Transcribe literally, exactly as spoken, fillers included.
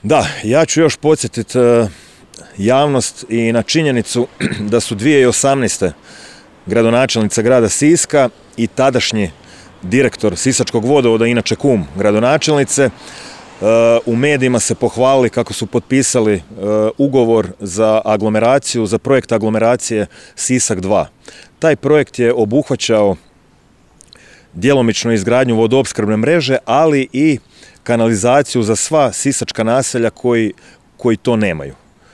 Da, ja ću još podsjetiti javnost i na činjenicu da su dvije tisuće osamnaeste. gradonačelnica grada Siska i tadašnji direktor Sisačkog vodovoda, inače kum gradonačelnice, u medijima se pohvalili kako su potpisali ugovor za aglomeraciju, za projekt aglomeracije Sisak dva. Taj projekt je obuhvaćao djelomično izgradnju vodoopskrbne mreže, ali i kanalizaciju za sva sisačka naselja koji, koji to nemaju.